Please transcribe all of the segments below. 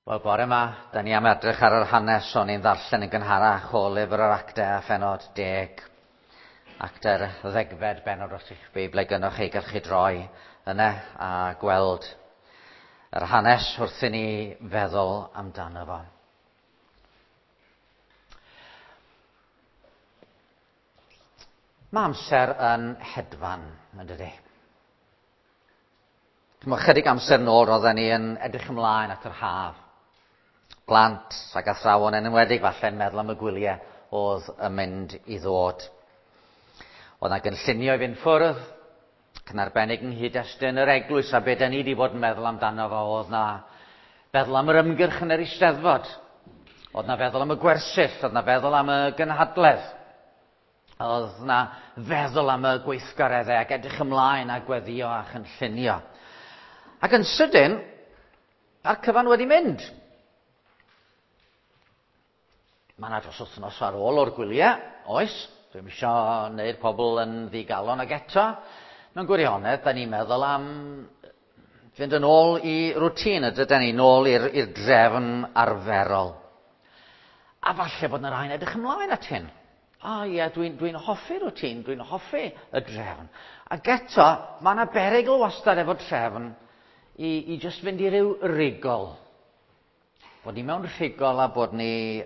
Wel, bore yma, da ni am edrych ar yr hanes o'n i'n ddarllen yn gynharach o lyfr yr actau a phenod 10. Actau'r ddegfed benod os eich Beiblau gynnwch chi, gallwch chi droi yna a gweld yr hanes wrth i ni feddwl amdano fo. Mae amser yn hedfan, yn dydi? Chimod, chydig amser nôl roedden ni yn edrych ymlaen at yr haf. Plant ac athrawon yn enwedig falle yn meddwl am y gwyliau oedd yn mynd i ddod. Oedd yna gynllunio i fynd ffwrdd, ac yn arbennig yng nghyd-destun yr eglwys a be da ni wedi bod yn meddwl amdano fo, oedd na feddwl am yr ymgyrch yn yr Eisteddfod, oedd na feddwl am y gwersyll, oedd na feddwl am y gynhadledd. Oedd 'na feddwl am y gweithgareddau ac edrych ymlaen a gweddio a chynllunio. Ac yn sydyn, a'r cyfan wedi mynd. Mae yna dros wythnos ar ôl o'r gwyliau, oes. Dwi'm eisiau wneud pobl yn ddigalon ag eto. Mewn gwirionedd, da ni'n meddwl am fynd yn ôl i rwtîn, y dydyn ni, nôl i'r drefn arferol. A falle bod yna rhai'n edrych ymlaen at hyn. O ie, dwi'n dwi hoffi rwtîn, dwi'n hoffi y drefn. Ac eto, mae yna berygl wastad efo trefn i just fynd i ryw rigol. Bod ni mewn rhigol a bod ni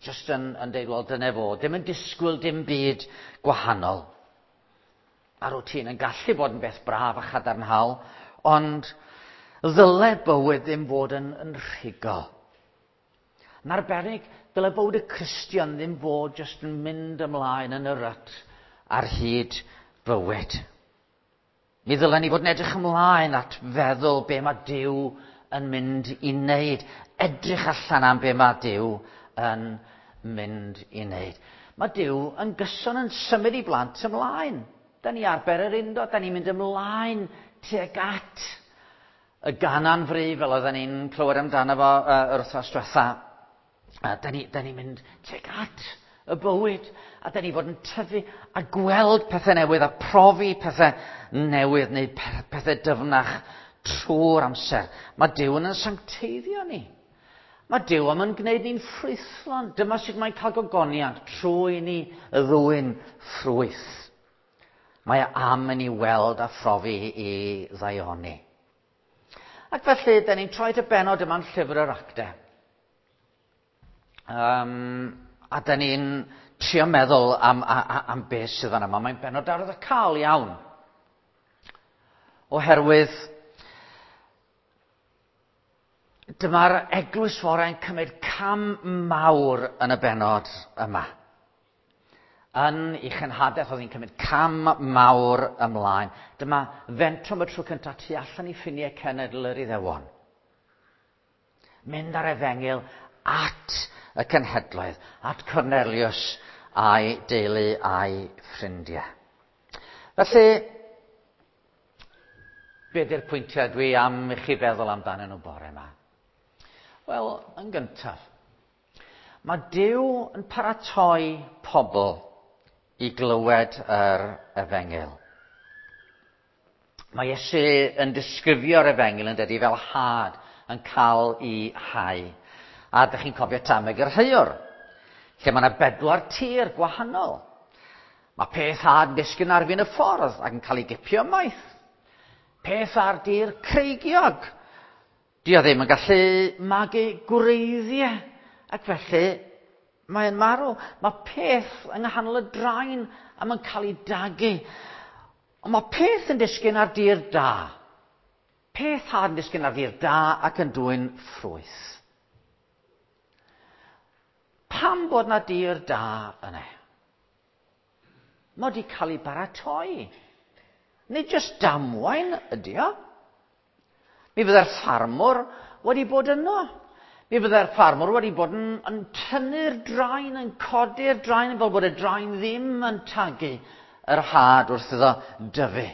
just yn deud, wel, dyna fo, ddim yn disgwyl dim byd gwahanol. A rwtîn yn gallu bod yn beth braf a chadarnhaol, ond ddyle bywyd ddim fod yn rhigol. Yn arbennig, dyle bywyd y Cristion ddim fod jyst yn mynd ymlaen yn y rut ar hyd bywyd. Mi ddylen ni fod yn edrych ymlaen at feddwl be mae Duw yn mynd i wneud. Edrych allan am be mae Duw yn mynd i wneud. Mae Duw yn gyson yn symud i blant ymlaen. Da ni ar bererindod, da ni'n mynd ymlaen tuag at y ganan fri, fel oedden ni'n clywed amdano fo yr wythnos diwetha. Da ni mynd tuag at y bywyd, a da ni fod yn tyfu a gweld pethau newydd a profi pethau newydd neu pethau dyfnach trwy'r amser. Mae Duw yn sancteiddio ni. Mae Duw am yn gwneud ni'n ffrwythlon. Dyma sut mae'n cael gogoniant trwy ni ddwyn ffrwyth. Mae am yn ei weld a phrofi i ddaioni. Ac felly, da ni'n troi at y benod yma'n llyfr yr actau. A da ni'n trio meddwl am beth sydd fan yma. Mae'n benod arwyddocaol iawn. Oherwydd dyma'r eglwys fore'n cymryd cam mawr yn y benod yma. Yn ei chenhadaeth oedd hi'n cymryd cam mawr ymlaen. Dyma fentro am y tro cyntaf tu allan i ffiniau cenedl yr Iddewon. Mynd ar efengyl at y cenhedloedd, at Cornelius a'i deulu a'i ffrindiau. Felly, be di'r pwyntiau dwi am i chi feddwl amdanyn nhw bore yma? Wel, yn gyntaf, mae Duw yn paratoi pobl i glywed yr efengyl. Mae Iesu yn disgrifio'r efengyl yn dydi fel had yn cael ei hau. A ydych chi'n cofio Tameg yr Heuwr, lle mae yna 4 tir gwahanol. Mae peth had yn disgyn ar fin y ffordd ac yn cael ei gipio ymaith. Peth ar dir creigiog. Di o ddim yn gallu magu gwreiddiau, ac felly mae'n marw. Mae peth yng nghanol y draen a mae'n cael ei dagu. Ond mae peth yn disgyn ar dir da. Peth had yn disgyn ar dir da ac yn dwyn ffrwyth. Pam bod na dir da yna? Mae wedi cael ei baratoi. Nid jyst damwain ydy o. Mi fydde'r ffarmwr wedi bod yno. Mi fydde'r ffarmwr wedi bod yn tynnu'r draen, yn codi'r draen, fel bod y draen ddim yn tagu yr had wrth iddo dyfu.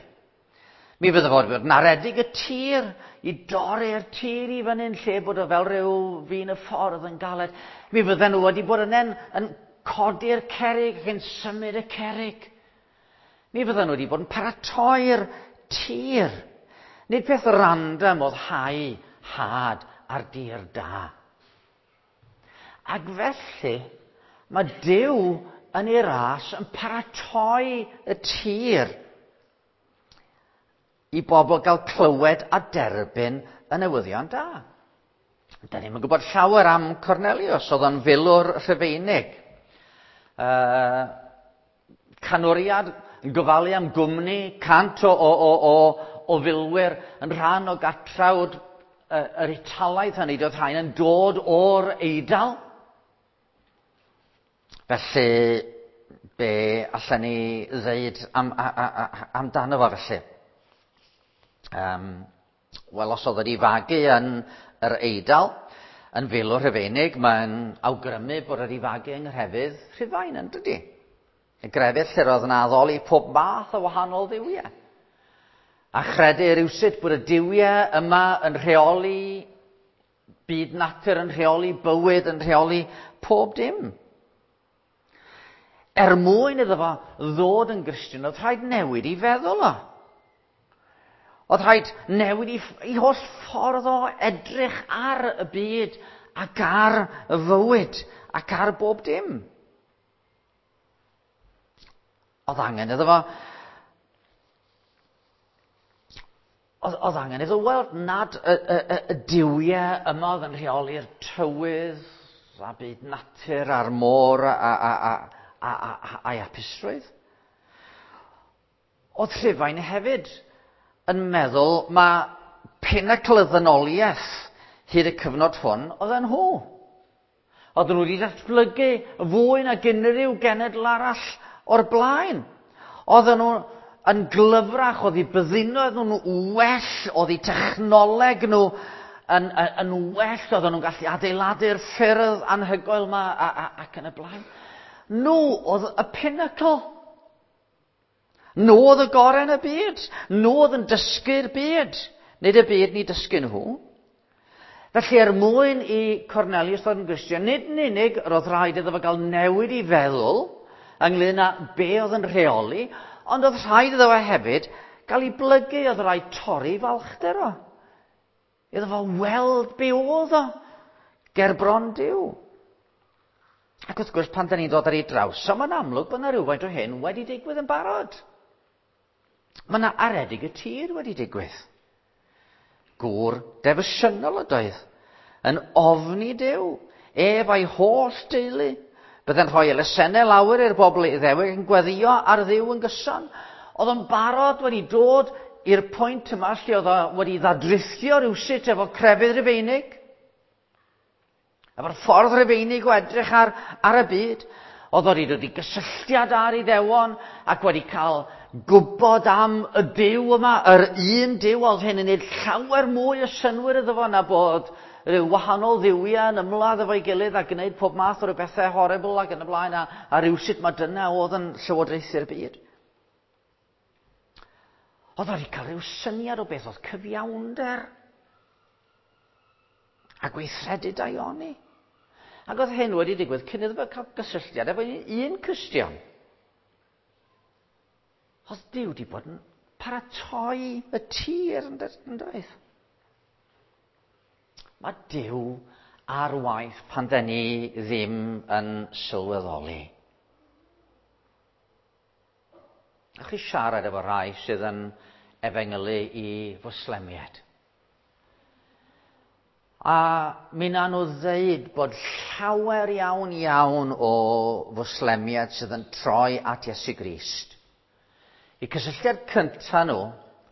Mi fydde fod yn aredig y tir, i dorri'r tir i fyny'n lle bod o fel rhyw fin y ffordd yn galed. Mi fydden nhw wedi bod yn codi'r cerrig ac yn symud y cerrig. Mi fydden nhw wedi bod yn paratoi'r tir. Nid peth random oedd hau had ar dir da. Ac felly, mae Duw yn ei ras yn paratoi y tir i bobl gael clywed a derbyn y newyddion da. Da ni'm yn gwybod llawer am Cornelius, oedd o'n filwr Rhufeinig. Canwriad yn gofalu am gwmni, 100 o filwyr yn rhan o gatrawd yr Italaidd hynny, doedd rhain yn dod o'r Eidal. Felly, be allan ni ddeud amdano fo felly? Wel, os oedd wedi fagu yn yr Eidal, yn filwr Rhufeinig, mae'n awgrymu bod wedi fagu yng nghrefydd Rhufain, yn dydi? Y grefydd lle roedd yn addoli pob math o wahanol dduwiau. A chredu rywsut bod y duwiau yma yn rheoli byd natur, yn rheoli bywyd, yn rheoli pob dim. Er mwyn iddo fo ddod yn Gristion, oedd rhaid newid i feddwl o. Oedd rhaid newid i holl ffordd o edrych ar y byd ac ar y fywyd ac ar bob dim. Oedd angen iddo fo... Oedd angen iddo weld nad y duwiau yma oedd yn rheoli'r tywydd a byd natur a'r môr a'i hapusrwydd. Oedd Rhufain hefyd yn meddwl mae pinacl y ddynoliaeth hyd y cyfnod hwn oedd yn nhw. Oedden nhw wedi datblygu fwy nag unrhyw genedl arall o'r blaen. Oedden nhw yn glyfrach, oedd eu byddinoedd nhw'n well, oedd eu technoleg nhw yn well, oedden nhw'n gallu adeiladu'r ffyrdd anhygoel yma ac yn y blaen. Nhw oedd y pinacl. Nhw oedd y gorau yn y byd. Nhw oedd yn dysgu'r byd. Nid y byd ni dysgu nhw. Felly er mwyn i Cornelius ddod yn Gristion, nid yn unig roedd rhaid iddo fo gael newid i feddwl ynglyn â be oedd yn rheoli, ond oedd rhaid iddo fo hefyd gael ei blygu, oedd rhaid torri falchder o. Iddo fo weld be oedd o ger bron Duw. Ac wrth gwrs, pan da ni'n dod ar ei draws, so mae'n amlwg bod yna rhywfaint o hyn wedi digwydd yn barod. Mae yna aredig y tir wedi digwydd. Gŵr defosiynol ydoedd, yn ofni Duw, ef a'i holl deulu. Byddai'n rhoi elusennau lawer i'r bobl Iddewig yn gweddïo ar Dduw yn gyson. Oedd o'n barod wedi dod i'r pwynt yma lle oedd o wedi ddadrithio rywsut efo crefydd Rufeinig. Efo'r ffordd Rufeinig o edrych ar y byd. Oedd o wedi dod i gysylltiad â'r Iddewon ac wedi cael gwybod am y Duw yma, yr un Duw, oedd hyn yn gwneud llawer mwy o synnwyr iddo fo na bod rhyw wahanol dduwiau yn ymladd efo'i gilydd a gwneud pob math o ryw bethau horrible ac yn y blaen, a rywsut mae dyna oedd yn llywodraethu'r byd. Oedd o wedi cael rhyw syniad o beth oedd cyfiawnder a gweithredu daioni. Ac oedd hyn wedi digwydd cyn iddo fo cael gysylltiad efo un Cristion. Oedd Duw wedi bod yn paratoi y tir yn doedd. Mae Duw ar waith pan da ni ddim yn sylweddoli. A chi siarad efo rhai sydd yn efengylu i Fwslemiaid. A mi na nhw ddeud bod llawer iawn iawn o Fwslemiaid sydd yn troi at Iesu Grist. Y cysylltiad cynta nhw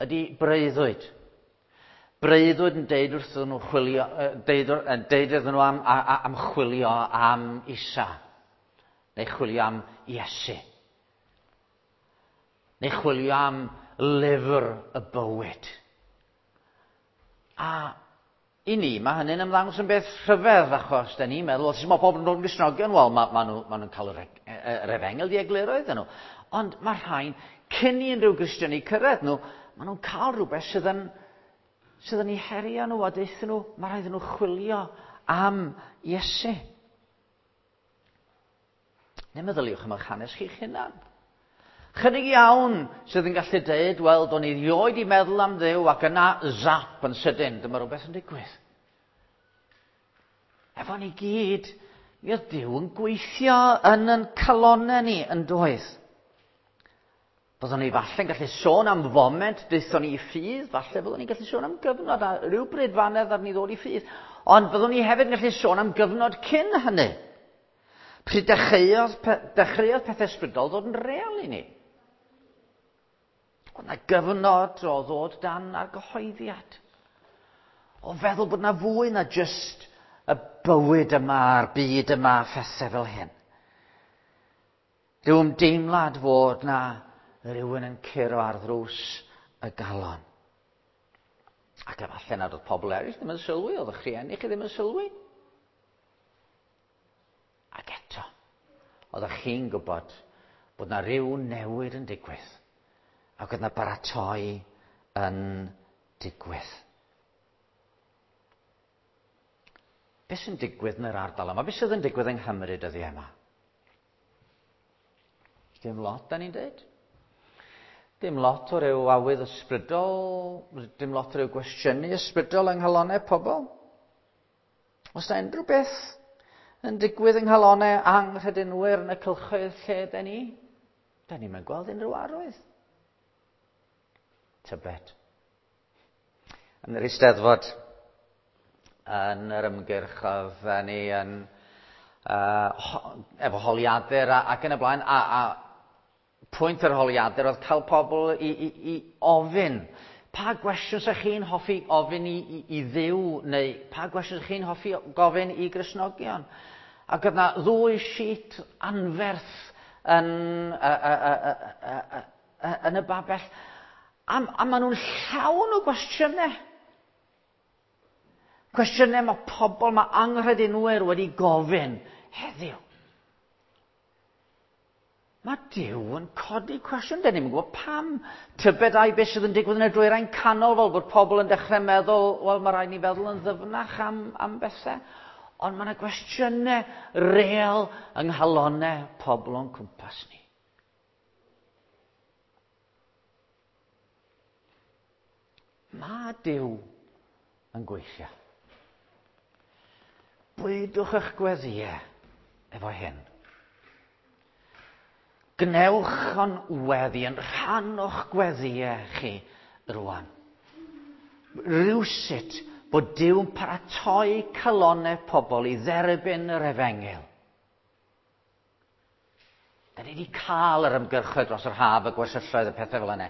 ydy breuddwyd. Breuddwyd yn deud wrthyn nhw chwilio, deud, yn deud iddyn nhw am chwilio am Isa, neu chwilio am Iesu, neu chwilio am lyfr y bywyd. A i ni, mae hynny'n ymddangos yn beth rhyfedd, achos da ni'n meddwl, os mae pobl yn dod yn Gristnogion, wel, ma nhw'n cael yr efengyl di egluro iddyn nhw. Ond mae rhain, cyn i unrhyw Gristion i cyrraedd nhw, ma nhw'n cael rhywbeth sydd yn eu herio nhw a deuthyn nhw, mae rhaid iddyn nhw chwilio am Iesu. Neu meddyliwch am eich hanes chi'ch hunan. Chydig iawn sydd yn gallu deud, wel, do'n i rioed i meddwl am Dduw ac yna zap yn sydyn, dyma rhywbeth yn digwydd. Rhyngddon ni gyd, mi oedd Duw yn gweithio yn yn calonau ni yn doedd. Byddwn ni falle'n gallu sôn am foment daethon ni i ffydd, falle byddwn ni'n gallu sôn am gyfnod a rhywbryd fanedd ar ni ddod i ffydd, ond byddwn ni hefyd yn gallu sôn am gyfnod cyn hynny. Pryd dechreuodd, dechreuodd pethau ysbrydol ddod yn real i ni. Oedd yna gyfnod o ddod dan argyhoeddiad. O feddwl bod yna fwy na jyst y bywyd yma a'r byd yma a phethau fel hyn. Rhyw ymdeimlad fod na rhywun yn curo ar ddrws y galon. Ac efallai nad oedd pobl eraill ddim yn sylwi, oedd eich rhieni chi ddim yn sylwi. Ac eto, oeddech chi'n gwybod bod na rhyw newid yn digwydd ac oedd na baratoi yn digwydd. Beth sy'n digwydd yn yr ardal yma? Beth sydd yn digwydd yng Nghymru dyddiau yma? Dim lot, da ni'n dweud. Dim lot o ryw awydd ysbrydol, dim lot o ryw gwestiynu ysbrydol yng nghalonau pobl. Os na unrhyw beth yn digwydd yng nghalonau anghredinwyr yn y cylchoedd lle da ni, da ni'n gweld unrhyw arwydd. Tybed. Yn yr Eisteddfod, yn yr ymgyrch oedd ni yn efo holiadur a, ac yn y blaen, a, a pwynt yr holiadur oedd cael pobl i, i, i ofyn pa gwestiwn sa'ch chi'n hoffi ofyn i, i, i Dduw neu pa gwestiwn sa'ch chi'n hoffi gofyn i Gristnogion. Ac oedd yna ddwy sheet anferth yn, yn y babell. A, a maen nhw'n llawn o gwestiynau. Cwestiynau mae pobl, mae anghredinwyr wedi gofyn heddiw. Mae Duw yn codi cwestiwn. Da ni'n gwybod pam. Tybed ai beth sydd yn digwydd yn y dwyrain canol fel bod pobl yn dechrau meddwl, wel mae rhaid ni feddwl yn ddyfnach am, am bethau. Ond mae yna gwestiynau real yng nghalonau pobl o'n cwmpas ni. Mae Duw yn gweithio. Bwydwch eich gweddïau efo hyn. Gwnewch o'n weddi yn rhan o'ch gweddïau chi rwan. Rywsut bod Duw yn paratoi calonau pobl i dderbyn yr efengyl. Da ni wedi cael yr ymgyrchoedd dros yr haf, y gwersylloedd, y pethau fel yna.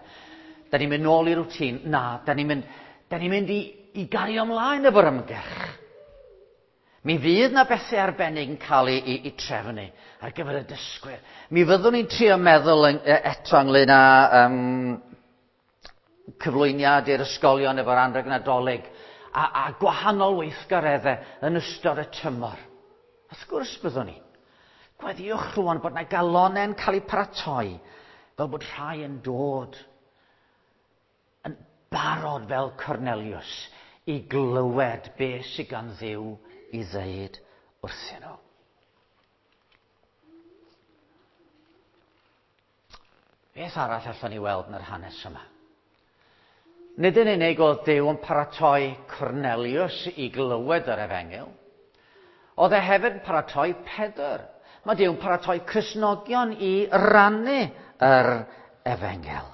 Da ni'n mynd nôl i rwtîn. Na, da ni'n mynd, da ni'n mynd i, i gario ymlaen efo'r ymgyrch. Mi fydd na bethau arbennig yn cael ei, ei, ei trefnu ar gyfer y dysgwyr. Mi fyddwn ni'n trio meddwl yn, eto ynglyn â um, cyflwyniad i'r ysgolion efo'r anrheg Nadolig a, a gwahanol weithgareddau yn ystod y tymor. Wrth gwrs byddwn ni. Gweddïwch rwan bod na galonau'n cael eu paratoi fel bod rhai yn dod yn barod fel Cornelius i glywed beth sydd gan Dduw i ddeud wrthyn nhw. Beth arall allwn ni weld yn yr hanes yma? Nid yn unig oedd Duw yn paratoi Cornelius i glywed yr efengyl, oedd e hefyd yn paratoi Pedr. Mae Duw yn paratoi Cristnogion i rannu yr efengyl.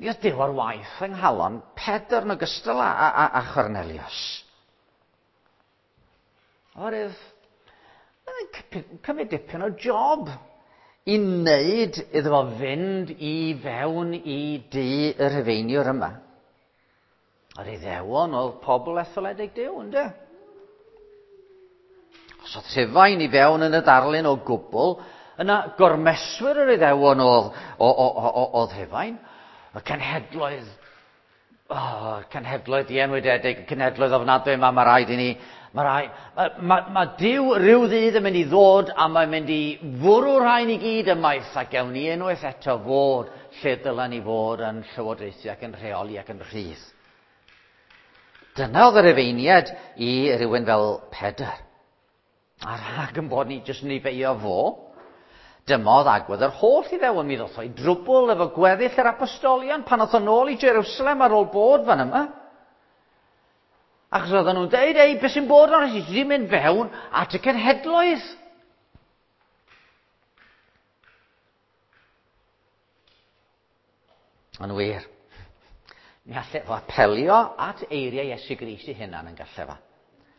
Mi oedd Duw ar waith yng nghalon Pedr yn ogystal â, â, â Chornelius. Oherwydd, mae'n cymryd dipyn o job i wneud iddo fo fynd i fewn i dŷ y Rhufeiniwr yma. Yr Iddewon oedd pobl etholedig Duw, ynddo? Os oedd Rhufain i fewn yn y darlun o gwbl, yna gormeswyr yr Iddewon oedd, oedd Rhufain. Y cenhedloedd, oh, cenhedloedd dienwydedig, cenhedloedd ofnadwy yma, mae rhaid i ni, mae rhaid, mae, mae, mae Duw rhyw ddydd yn mynd i ddod a mae'n mynd i fwrw rhain i gyd ymaith a gewn ni unwaith eto fod lle dylen ni fod yn llywodraethu ac yn rheoli ac yn rhydd. Dyna oedd yr efeiniad i rywun fel Pedr. A rhag yn bod ni jyst yn ei feio fo, dyma oedd agwedd yr holl Iddewon. Mi ddoth o i drwbl efo gweddill yr apostolion pan oedd o nôl i Jerusalem ar ôl bod fan yma. Achos oedden nhw'n deud, ei, beth sy'n bod arno ti? Ti wedi mynd fewn at y cenhedloedd. Yn wir, mi allai fo apelio at eiriau Iesu Grist ei hunan yn gallai fo.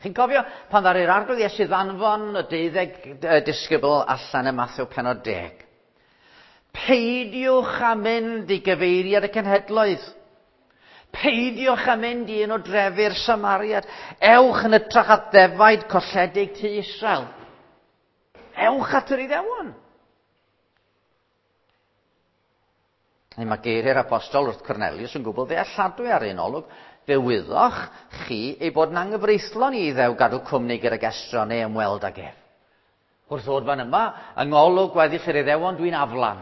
Chi'n cofio pan ddaru'r arglwydd Iesu ddanfon y deuddeg disgybl allan ym Mathew penod 10? Peidiwch â mynd i gyfeiriad y cenhedloedd. Peidiwch â mynd i un o drefi'r Samariad. Ewch yn ytrach at ddefaid colledig tu Israel. Ewch at yr Iddewon. Neu mae geiriau'r apostol wrth Cornelius yn gwbl ddealladwy ar un olwg. Fe wyddoch chi ei bod yn anghyfreithlon i Iddew gadw cwmni gydag estron neu ymweld ag ef. Wrth ddod fan yma, yng ngolwg gweddill yr Iddewon, dwi'n aflan.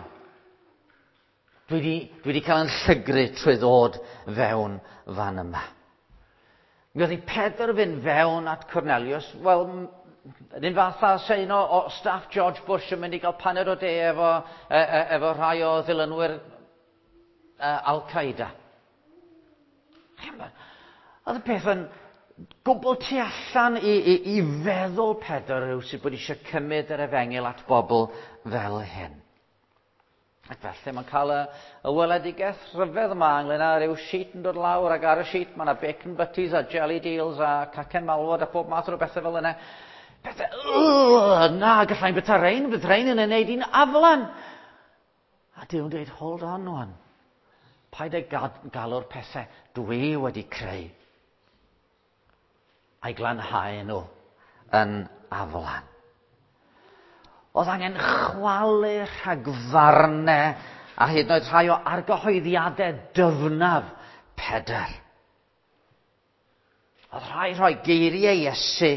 Dwi wedi, dwi wedi cael yn llygru trwy ddod fewn fan yma. Mi oedd i Pedr fynd fewn at Cornelius, wel, yr un fath â se un o, o staff George Bush yn mynd i gael paned o de efo, e, e, efo rhai o ddilynwyr e, Al-Qaeda. Oedd y peth yn gwbl tu allan i, i, i feddwl Pedr rhywsut bod eisiau cymryd yr efengyl at bobl fel hyn. Ac felly mae'n cael y, y weledigaeth rhyfedd yma ynglyn â rhyw sheet yn dod lawr ac ar y sheet mae yna bacon butties a jelly deals a cacen malwod a pob math o bethau fel yna. Pethau, na, gallai'n byta rein, bydd rein yn ei wneud i'n aflan. A Duw'n dweud, hold on wan. Paid â galw'r pethau dwi wedi creu a'i glanhau nhw yn aflan. Oedd angen chwalu rhagfarnau a hyd yn oed rhai o argyhoeddiadau dyfnaf Pedr. Oedd rhai rhoi geiriau Iesu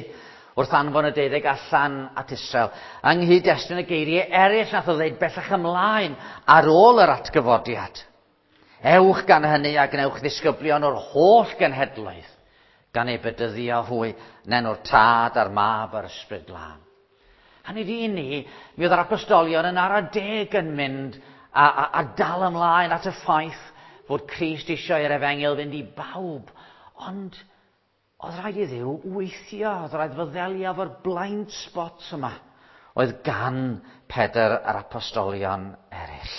wrth anfon y deuddeg allan at Israel, yng nghyd-destun y geiriau eraill nath o ddeud bellach ymlaen ar ôl yr atgyfodiad. Ewch gan hynny a gwnewch ddisgyblion o'r holl genhedloedd, gan eu bedyddio hwy yn enw'r Tad a'r Mab a'r Ysbryd Glân. Hynny ydi i ni, mi oedd yr apostolion yn ara deg yn mynd a, a, a dal ymlaen at y ffaith fod Crist eisiau i'r efengyl fynd i bawb. Ond oedd rhaid i Dduw weithio, oedd rhaid fo ddelio efo'r blind spots yma oedd gan Pedr a'r apostolion eraill.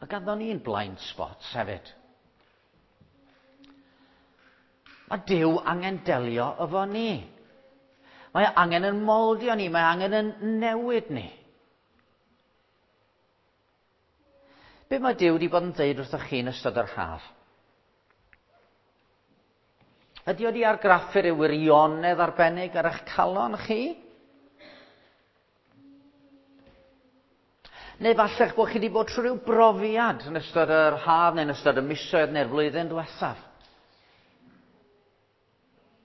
Mae ganddo ni'n blind spots hefyd. Mae Duw angen delio efo ni. Mae angen yn moldio ni, mae angen yn newid ni. Be mae Duw wedi bod yn dweud wrthoch chi yn ystod yr haf? Ydy wedi argraffu rhyw wirionedd arbennig ar eich calon chi? Neu falle'ch bod chi wedi bod trwy rhyw brofiad yn ystod yr haf neu'n ystod y misoedd neu'r flwyddyn diwethaf.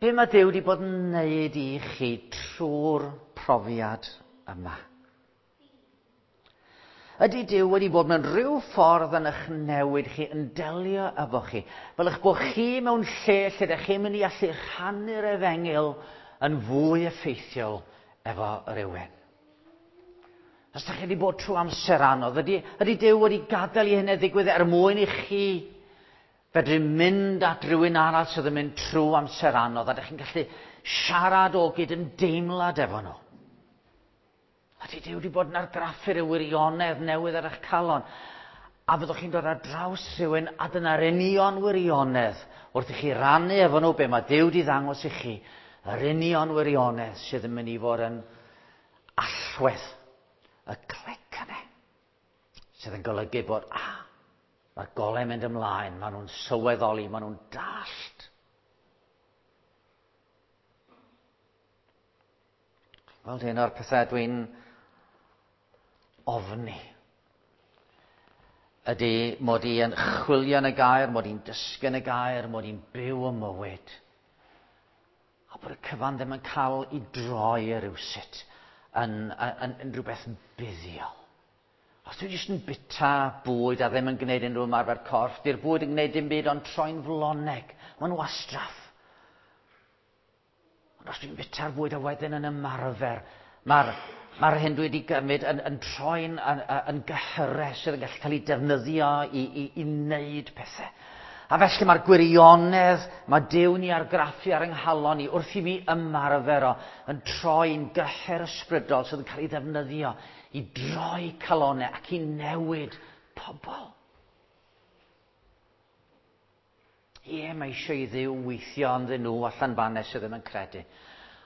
Be mae Duw wedi bod yn wneud i chi trwy'r profiad yma? Ydy Duw wedi bod mewn rhyw ffordd yn eich newid chi, yn delio efo chi, fel eich bod chi mewn lle lle ydych chi'n mynd i allu rhannu'r efengyl yn fwy effeithiol efo rhywun? Os ydych chi wedi bod trwy amser anodd, ydy, ydy Duw wedi gadael i hynny ddigwydd er mwyn i chi fedru mynd at rhywun arall sydd yn mynd trwy amser anodd a ydych chi'n gallu siarad o gyd yn deimlad efo nhw? Ydy Duw wedi bod yn argraffu'r wirionedd newydd ar eich calon? A fyddwch chi'n dod ar draws rhywun a dyna'r union wirionedd wrth i chi rannu efo nhw be mae Duw wedi ddangos i chi, yr union wirionedd sydd yn mynd i fod yn allwedd y clic yna. Sydd yn golygu bod, ah, mae'r golau mynd ymlaen, maen nhw'n sylweddoli, maen nhw'n dallt. Wel, un o'r pethau dwi'n ofni ydy mod i yn chwilio yn y gair, mod i'n dysgu yn y gair, mod i'n byw y mywyd. A bod y cyfan ddim yn cael ei droi rhywsut yn, yn, yn, yn rhywbeth buddiol. Os dwi jyst yn bita bwyd a ddim yn gwneud unrhyw ymarfer corff, di'r bwyd yn gwneud dim byd ond troi'n floneg. Mae'n wastraff. Ond os dwi'n bita'r bwyd a wedyn yn ymarfer, mae'r mae'r hyn dwi wedi gymryd yn, yn troi'n yn, yn gyhyres sydd yn gallu cael ei defnyddio i, i, i wneud pethau. A felly mae'r gwirionedd mae Duw'n ei argraffu ar yng nghalon i wrth i mi ymarfer o yn troi'n gyhyr ysbrydol sydd yn cael ei ddefnyddio i droi calonau ac i newid pobl. Ie, mae eisiau i Dduw weithio ynddyn nhw allan fanna sydd ddim yn credu.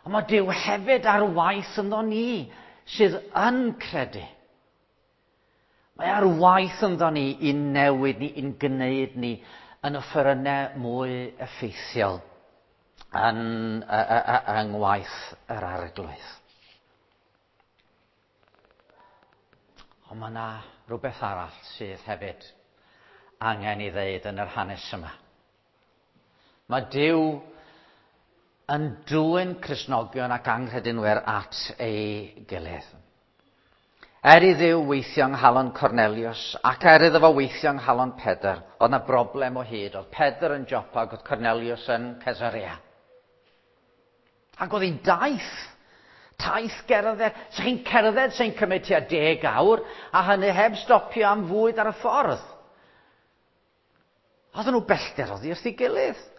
Ond mae Duw hefyd ar waith ynddo ni sydd yn credu. Mae ar waith ynddo ni i newid ni, i'n gwneud ni yn offerynnau mwy effeithiol yn, yng ngwaith yr Arglwydd. Ond mae yna rhywbeth arall sydd hefyd angen i ddeud yn yr hanes yma. Mae Duw yn dwyn Cristnogion ac anghredinwyr at ei gilydd. Er i Dduw weithio yng nghalon Cornelius ac er iddo fo weithio yng nghalon Pedr, oedd 'na broblem o hyd. Oedd Pedr yn Jopa ac oedd Cornelius yn Caesarea. Ac oedd hi'n daith. Taith gerdded. Sa chi'n cerdded sy'n cymryd tua 10 awr, a hynny heb stopio am fwyd ar y ffordd. Oedden nhw bellter oddi wrth ei gilydd.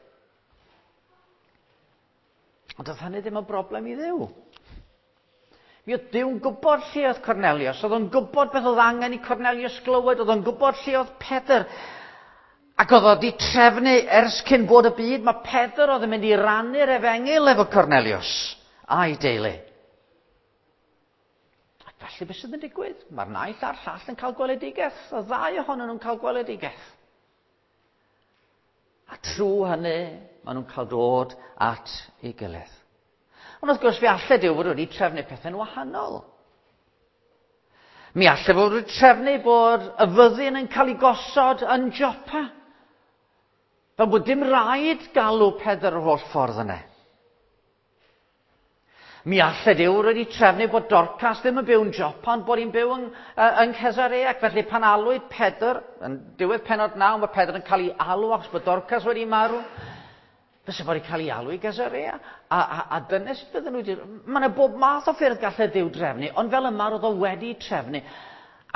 Ond oedd hynny ddim yn broblem i Dduw. Mi oedd Duw'n gwybod lle oedd Cornelius, oedd o'n gwybod beth oedd angen i Cornelius glywed, oedd o'n gwybod lle oedd Pedr. Ac oedd o wedi trefnu ers cyn bod y byd, mae Pedr oedd yn mynd i rannu'r efengyl efo Cornelius a'i deulu. Ac felly beth sydd yn digwydd? Mae'r naill a'r llall yn cael gweledigaeth, y ddau ohonyn nhw'n cael gweledigaeth. A trwy hynny, maen nhw'n cael dod at ei gilydd. Ond wrth gwrs, fe allai Duw fod wedi trefnu pethau'n wahanol. Mi allai fod wedi trefnu bod y fyddin yn cael ei gosod yn Jopa. Fel bod dim rhaid galw Pedr yr holl ffordd yna. Mi allai Duw wedi trefnu bod Dorcas ddim yn byw yn Jopa, ond bod hi'n byw yng, yng Nghesarea. Ac felly pan alwyd Pedr, yn diwedd pennod 9, mae Pedr yn cael ei alw achos bod Dorcas wedi marw. Fysa fo wedi cael ei alw i Gesarea. A, a, a dyna sut fydden nhw wedi... Mae yna bob math o ffyrdd gallai Duw drefnu, ond fel yma roedd o wedi trefnu.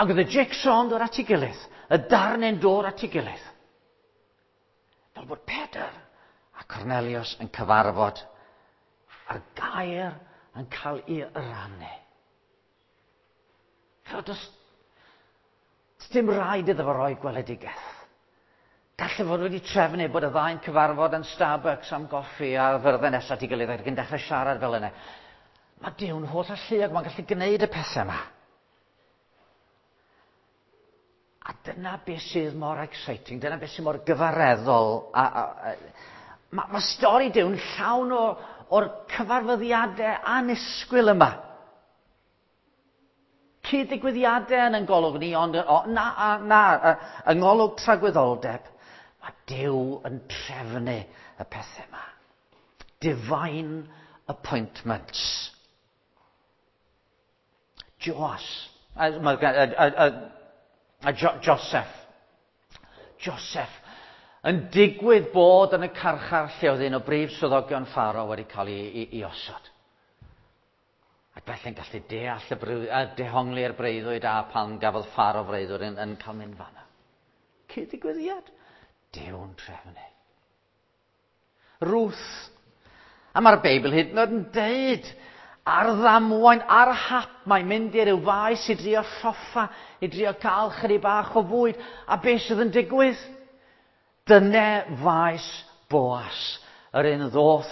Ac oedd y jigsaw yn dod at ei gilydd, y darnau'n dod at ei gilydd. Fel bod Pedr a Cornelius yn cyfarfod a'r gair yn cael ei rannu. Chymod, does, does dim rhaid iddo fo roi gweledigaeth. Gallai fod wedi trefnu bod y ddau'n cyfarfod yn Starbucks am goffi a fyrddau nesaf at ei gilydd ac yn dechrau siarad fel yna. Mae Duw'n holl alluog, mae'n gallu gwneud y pethau yma. A dyna beth sydd mor exciting, dyna beth sydd mor gyfareddol. A, a, a, mae, mae stori Duw'n llawn o, o'r cyfarfyddiadau annisgwyl yma. Cyd-ddigwyddiadau yn ein golwg ni, ond o, na, na, yng ngolwg tragwyddoldeb, mae Duw yn trefnu y pethau yma. Divine appointments. Joas. A, a, a, a, jo, Joseph. Joseph yn digwydd bod yn y carchar lle oedd un o brif swyddogion Pharaoh wedi cael ei, ei, ei osod. Ac felly'n gallu deall y breuddwyd, a dehongli'r breuddwyd a pan gafodd Pharaoh freuddwyd yn, yn cael mynd fanna. Cyd-ddigwyddiad. Duw'n trefnu. Ruth. A mae'r Beibl hyd yn oed yn deud ar ddamwain, ar hap, mae'n mynd i ryw faes i drio lloffa, i drio cael chydig bach o fwyd. A beth sydd yn digwydd? Dyne faes Boas, yr un ddoth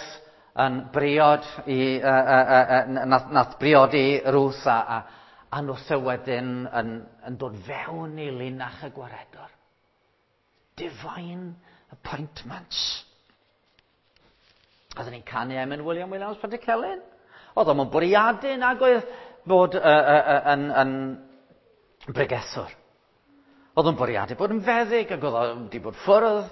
yn briod i, uh, uh, uh, nath, nath briodi Ruth a, a, a noth e wedyn yn, yn dod fewn i linach y gwaredwr. Divine appointments. Oedden ni'n canu emyn William Williams Pantycelyn. Oedd o'n bwriadu nag oedd bod uh, uh, uh, yn, yn bregethwr. Oedd o'n bwriadu bod yn feddyg ac oedd o'n wedi bod ffwrdd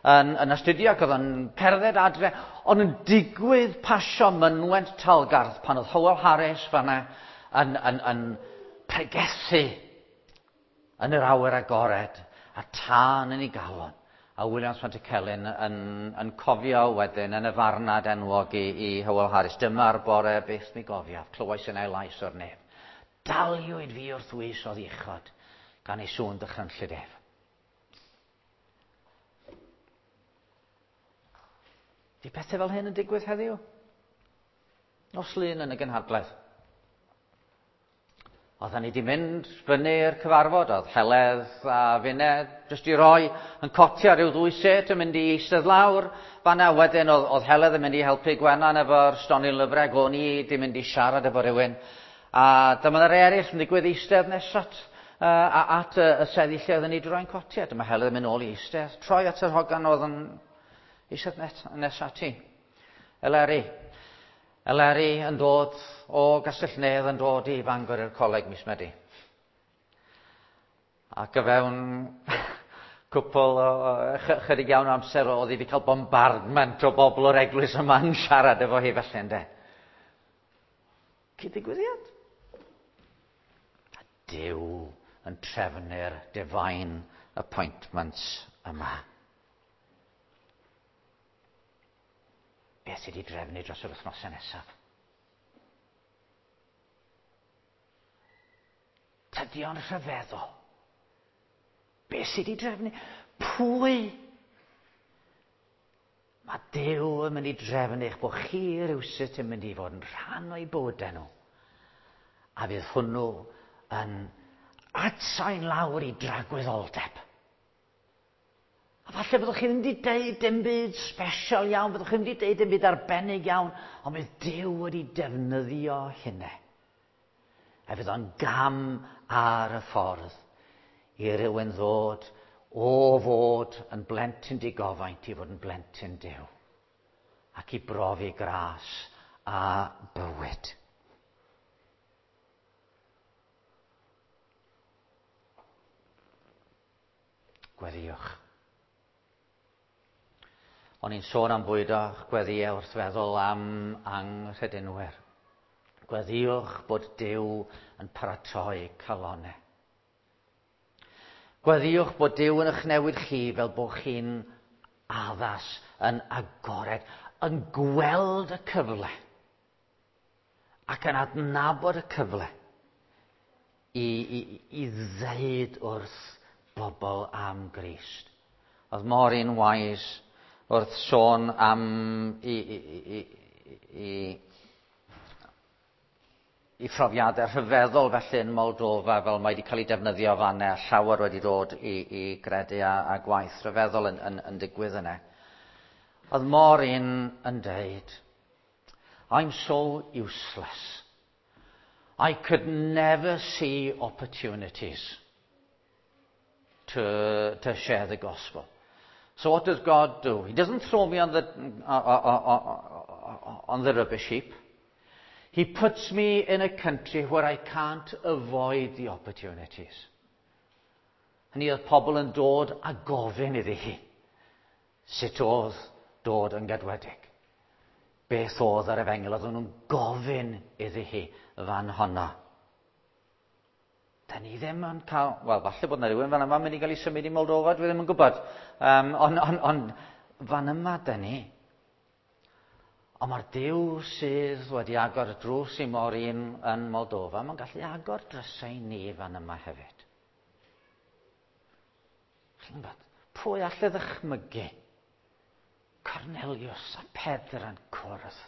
yn, yn astudio ac oedd o'n cerdded adre. Ond yn digwydd pasio mynwent Talgarth pan oedd Howell Harris fanna yn, yn, yn pregethu yn yr awyr agored a tân yn ei galon. A Williams Pantycelyn yn, yn cofio wedyn yn y farnad enwog i, i Howell Harris. Dyma'r bore byth mi gofiaf, clywais yn ei lais o'r nef. Daliwyd fi wrth wys o ddichod gan ei sŵn dychrynllyd ef. Di pethau fel hyn yn digwydd heddiw? Nos Lun yn y gynhadledd. Oedden ni wedi mynd fyny i'r cyfarfod, oedd Heledd a finne jyst i roi yn cotia rhyw ddwy set yn mynd i eistedd lawr. Fanna wedyn oedd, oedd Heledd yn mynd i helpu Gwenan efo'r stondin lyfrau, o'n i wedi mynd i siarad efo rhywun. A dyma yna eraill yn digwydd eistedd nesat at y seddi lle oedden ni wedi rhoi'n cotia. Dyma Heledd yn mynd ôl i eistedd, troi at yr hogan oedd yn eistedd nes ati. Eleri. Eleri yn dod o Gastell Nedd yn dod i Fangor i'r coleg mis Medi. Ac o fewn cwpl o chydig iawn o amser oedd hi wedi cael bombardment o bobl o'r eglwys yma'n siarad efo hi felly, ynde. Cyd-ddigwyddiad. A Duw yn trefnu'r divine appointments yma. Beth sydd wedi drefnu dros yr wythnosau nesaf? Tydi o'n rhyfeddol. Beth sydd wedi drefnu? Pwy? Mae Duw yn mynd i drefnu eich bod chi rywsut yn mynd i fod yn rhan o'i bywydau nhw. A fydd hwnnw yn adsain lawr i dragwyddoldeb. A falle byddwch chi ddim wedi deud dim byd special iawn, byddwch chi ddim wedi deud dim byd arbennig iawn, ond bydd Duw wedi defnyddio hynny. A fydd o'n gam ar y ffordd i rywun ddod o fod yn blentyn digofaint i fod yn blentyn Duw. Ac i brofi gras a bywyd. Gweddïwch. O'n i'n sôn am bwydo'ch gweddïau wrth feddwl am anghredinwyr. Gweddïwch bod Duw yn paratoi calonau. Gweddïwch bod Duw yn eich newid chi fel bod chi'n addas, yn agored, yn gweld y cyfle ac yn adnabod y cyfle i ddeud wrth bobl am Grist. Oedd Maureen Wise wrth sôn am i phrofiadau rhyfeddol felly yn Moldova, fel mae wedi cael ei defnyddio fanna, a llawer wedi dod i gredu a gwaith rhyfeddol yn digwydd yna. Oedd Maureen yn deud, "I'm so useless. I could never see opportunities to share the gospel. So what does God do? He doesn't throw me on the rubbish heap. He puts me in a country where I can't avoid the opportunities." Hynny oedd pobl yn dod a gofyn iddi hi sut oedd dod yn gadwedig. Beth oedd yr efengyl, oedden nhw'n gofyn iddi hi fan honno. Da ni ddim yn cael, wel, falle bod yna rhywun fan yma mynd i gael ei symud i Moldova, dwi ddim yn gwybod. Ond fan yma da ni. Ond mae'r Duw sydd wedi agor y drws i Maureen yn Moldova, mae'n gallu agor drysau ni fan yma hefyd. Chi'n gwybod, pwy alle ddychmygu Cornelius a Pedr yn cwrdd?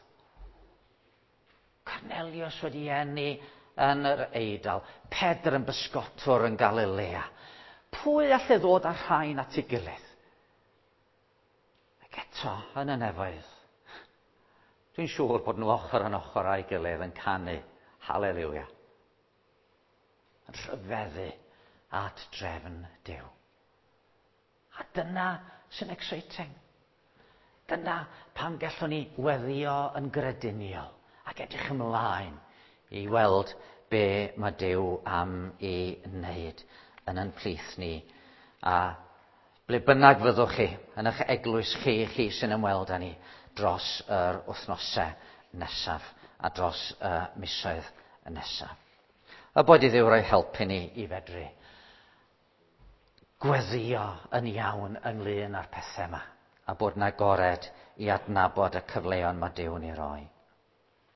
Cornelius wedi eni yn yr Eidal, Pedr yn bysgotwr yn Galilea. Pwy alle ddod â rhain at ei gilydd? Ac eto, yn y nefoedd, dwi'n siŵr bod nhw ochr yn ochr â'i gilydd yn canu haleluia. Yn rhyfeddu at drefn Duw. A dyna sy'n exciting. Dyna pam gallwn ni weddio yn grediniol ac edrych ymlaen i weld be mae Duw am i wneud yn yn plith ni. A ble bynnag fyddwch chi, yn eich eglwys chi, chi sy'n ymweld â ni dros yr wythnosau nesaf a dros y misoedd nesaf. A bod i Dduw roi helpu ni i fedru gweddio yn iawn ynglyn â'r pethau yma a bod yn agored i adnabod y cyfleon mae Duw'n ei roi.